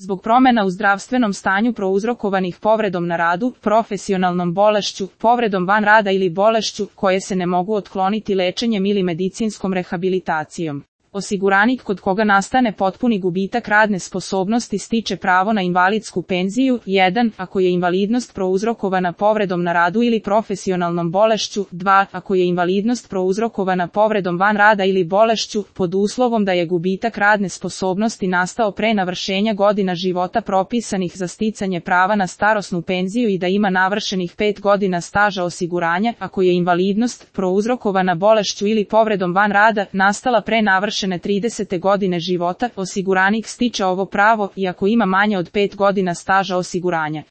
zbog promjena u zdravstvenom stanju prouzrokovanih povredom na radu, profesionalnom bolešću, povredom van rada ili bolešću, koje se ne mogu otkloniti lečenjem ili medicinskom rehabilitacijom. Osiguranik kod koga nastane potpuni gubitak radne sposobnosti stiče pravo na invalidsku penziju, 1. ako je invalidnost prouzrokovana povredom na radu ili profesionalnom bolešću, 2. ako je invalidnost prouzrokovana povredom van rada ili bolešću, pod uslovom da je gubitak radne sposobnosti nastao pre navršenja godina života propisanih za sticanje prava na starosnu penziju i da ima navršenih 5 godina staža osiguranja, ako je invalidnost prouzrokovana bolešću ili povredom van rada nastala pre navršenja 30. godine života, osiguranik stiče ovo pravo i ako ima manje od 5 godina staža osiguranja.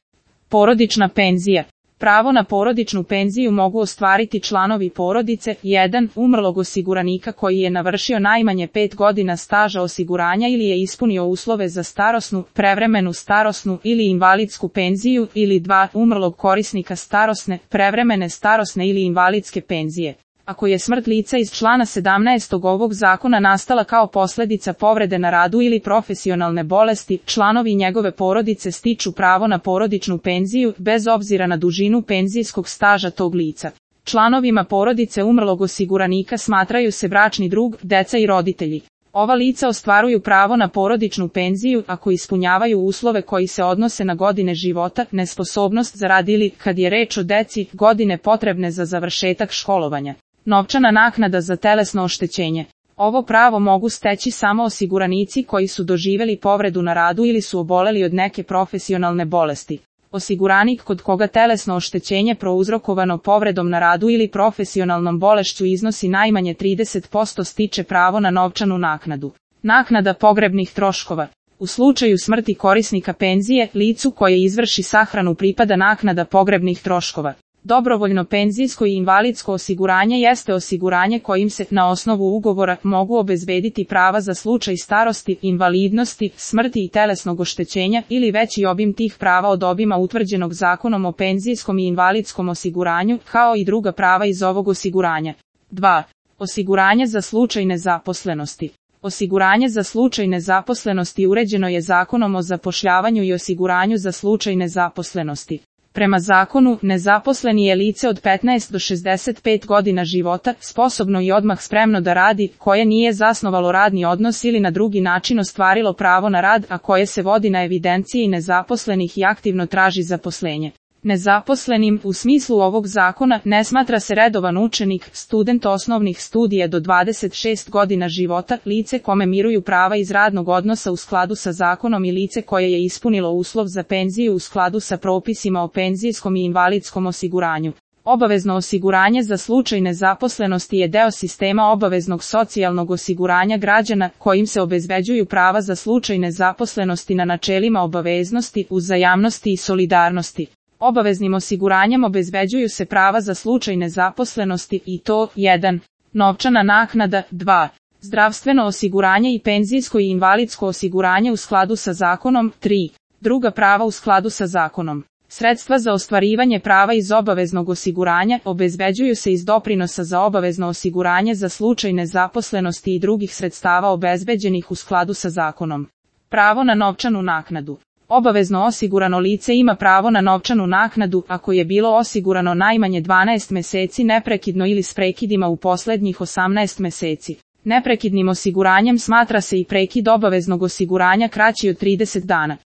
Porodična penzija. Pravo na porodičnu penziju mogu ostvariti članovi porodice, 1. umrlog osiguranika koji je navršio najmanje 5 godina staža osiguranja ili je ispunio uslove za starosnu, prevremenu starosnu ili invalidsku penziju, ili 2. umrlog korisnika starosne, prevremene starosne ili invalidske penzije. Ako je smrt lica iz člana 17. ovog zakona nastala kao posljedica povrede na radu ili profesionalne bolesti, članovi njegove porodice stiču pravo na porodičnu penziju, bez obzira na dužinu penzijskog staža tog lica. Članovima porodice umrlog osiguranika smatraju se bračni drug, deca i roditelji. Ova lica ostvaruju pravo na porodičnu penziju ako ispunjavaju uslove koji se odnose na godine života, nesposobnost za rad ili, kad je reč o deci, godine potrebne za završetak školovanja. Novčana naknada za telesno oštećenje. Ovo pravo mogu steći samo osiguranici koji su doživjeli povredu na radu ili su oboleli od neke profesionalne bolesti. Osiguranik kod koga telesno oštećenje prouzrokovano povredom na radu ili profesionalnom bolešću iznosi najmanje 30% stiče pravo na novčanu naknadu. Naknada pogrebnih troškova. U slučaju smrti korisnika penzije, licu koje izvrši sahranu pripada naknada pogrebnih troškova. Dobrovoljno penzijsko i invalidsko osiguranje jeste osiguranje kojim se, na osnovu ugovora, mogu obezbediti prava za slučaj starosti, invalidnosti, smrti i telesnog oštećenja ili veći obim tih prava od obima utvrđenog Zakonom o penzijskom i invalidskom osiguranju, kao i druga prava iz ovog osiguranja. 2. Osiguranje za slučaj nezaposlenosti. Osiguranje za slučaj nezaposlenosti uređeno je Zakonom o zapošljavanju i osiguranju za slučaj nezaposlenosti. Prema zakonu, nezaposleni je lice od 15 do 65 godina života, sposobno i odmah spremno da radi, koje nije zasnovalo radni odnos ili na drugi način ostvarilo pravo na rad, a koje se vodi na evidenciji nezaposlenih i aktivno traži zaposlenje. Nezaposlenim, u smislu ovog zakona, ne smatra se redovan učenik, student osnovnih studija do 26 godina života, lice kome miruju prava iz radnog odnosa u skladu sa zakonom i lice koje je ispunilo uslov za penziju u skladu sa propisima o penzijskom i invalidskom osiguranju. Obavezno osiguranje za slučaj nezaposlenosti je deo sistema obaveznog socijalnog osiguranja građana, kojim se obezbeđuju prava za slučaj nezaposlenosti na načelima obaveznosti, uzajamnosti i solidarnosti. Obaveznim osiguranjem obezbeđuju se prava za slučaj nezaposlenosti i to, 1. novčana naknada, 2. zdravstveno osiguranje i penzijsko i invalidsko osiguranje u skladu sa zakonom, 3. druga prava u skladu sa zakonom. Sredstva za ostvarivanje prava iz obaveznog osiguranja obezbeđuju se iz doprinosa za obavezno osiguranje za slučaj nezaposlenosti i drugih sredstava obezbeđenih u skladu sa zakonom. Pravo na novčanu naknadu. Obavezno osigurano lice ima pravo na novčanu naknadu ako je bilo osigurano najmanje 12 meseci neprekidno ili s prekidima u posljednjih 18 meseci. Neprekidnim osiguranjem smatra se i prekid obaveznog osiguranja kraći od 30 dana.